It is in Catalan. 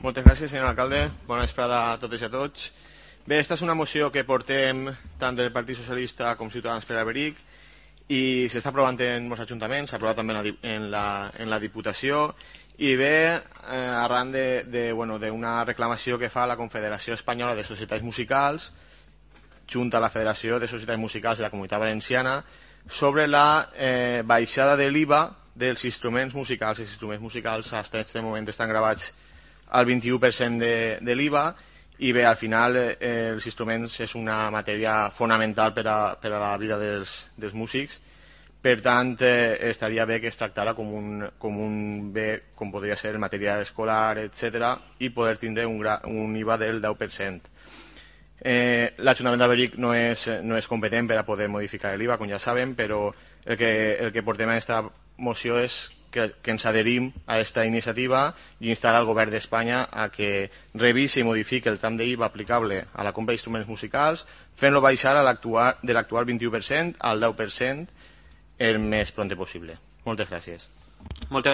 Moltes gràcies, senyor alcalde. Bona vesprada a totes i a tots. Bé, esta és una moció que portem tant del Partit Socialista com Ciutadans per Alberic i s'està aprovant en molts ajuntaments, s'ha aprovat també en la Diputació i ve arran d'una reclamació que fa la Confederació Espanyola de Societats Musicals junt a la Federació de Societats Musicals de la Comunitat Valenciana sobre la baixada de l'IVA dels instruments musicals. Els instruments musicals fins a aquest moment estan gravats al 21% de l'IVA i bé, al final els instruments és una matèria fonamental per a la vida dels músics. Per tant, estaria bé que es tractara com un bé, com podria ser el material escolar, etc., i poder tindre un IVA del 10%. L'Ajuntament d'Alberic no és competent per a poder modificar l'IVA, com ja sabem, però el que portem a aquesta moció és que ens adherim a aquesta iniciativa i instar al govern d'Espanya a que revisi i modifiqui el tram d'IVA aplicable a la compra d'instruments musicals, fent-lo baixar de l'actual 21% al 10% el més pront possible. Moltes gràcies.